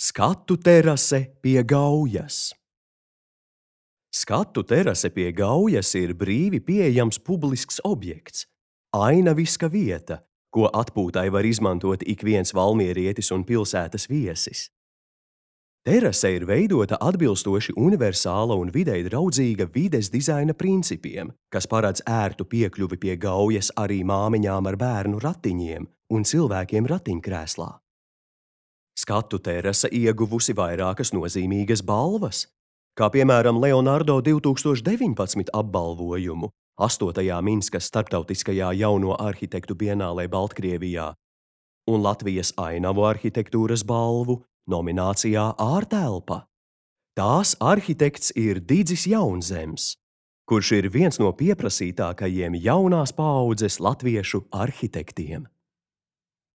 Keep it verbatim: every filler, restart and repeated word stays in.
Skatu terase pie Gaujas. Skatu terase pie Gaujas ir brīvi pieejams publisks objekts, ainaviska vieta, ko atpūtai var izmantot ik viens valmierietis un pilsētas viesis. Terase ir veidota atbilstoši universāla un videi draudzīga vides dizaina principiem, kas paredz ērtu piekļuvi pie Gaujas arī māmiņām ar bērnu ratiņiem un cilvēkiem ratiņkrēslā. Skatu terase ieguvusi vairākas nozīmīgas balvas, kā piemēram Leonardo divtūkstoš deviņpadsmit apbalvojumu astotajā Minskas starptautiskajā jauno arhitektu bienālē Baltkrievijā un Latvijas ainavu arhitektūras balvu nominācijā Ārtelpa. Tās arhitekts ir Didzis Jaunzems, kurš ir viens no pieprasītākajiem jaunās paaudzes latviešu arhitektiem.